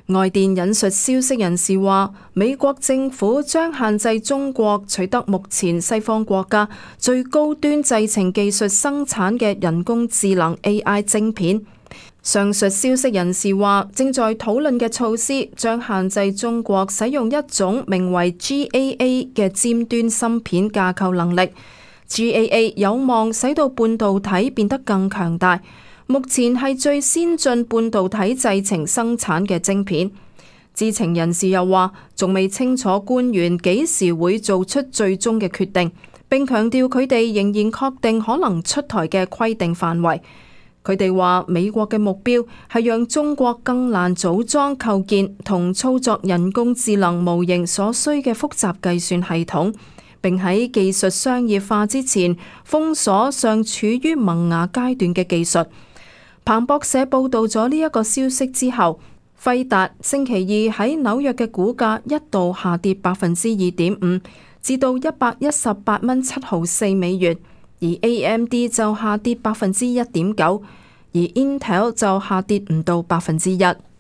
外電引述消息人士話，美國政府將限制中國取得目前西方國家最高端製程技術生產嘅人工智能 AI 晶片。上述消息人士話，正在討論嘅措施將限制中國使用一種名為 GAA 嘅尖端芯片架構能力。GAA 有望使到半導體變得更強大。目前係最先進半導體製程生產嘅晶片。知情人士又話，仲未清楚官員幾時會做出最終嘅決定，並強調佢哋仍然確定可能出台嘅規定範圍。佢哋話，美國嘅目標係讓中國更難組裝構建同操作人工智能模型所需嘅複雜計算系統，並喺技術商業化之前封鎖尚處於萌芽階段嘅技術。彭博社報道咗呢一個消息之後，輝達星期二喺紐約嘅股價一度下跌2.5%，至到118.704美元，而 AMD 就下跌1.9%，而 Intel 就下跌唔到1%。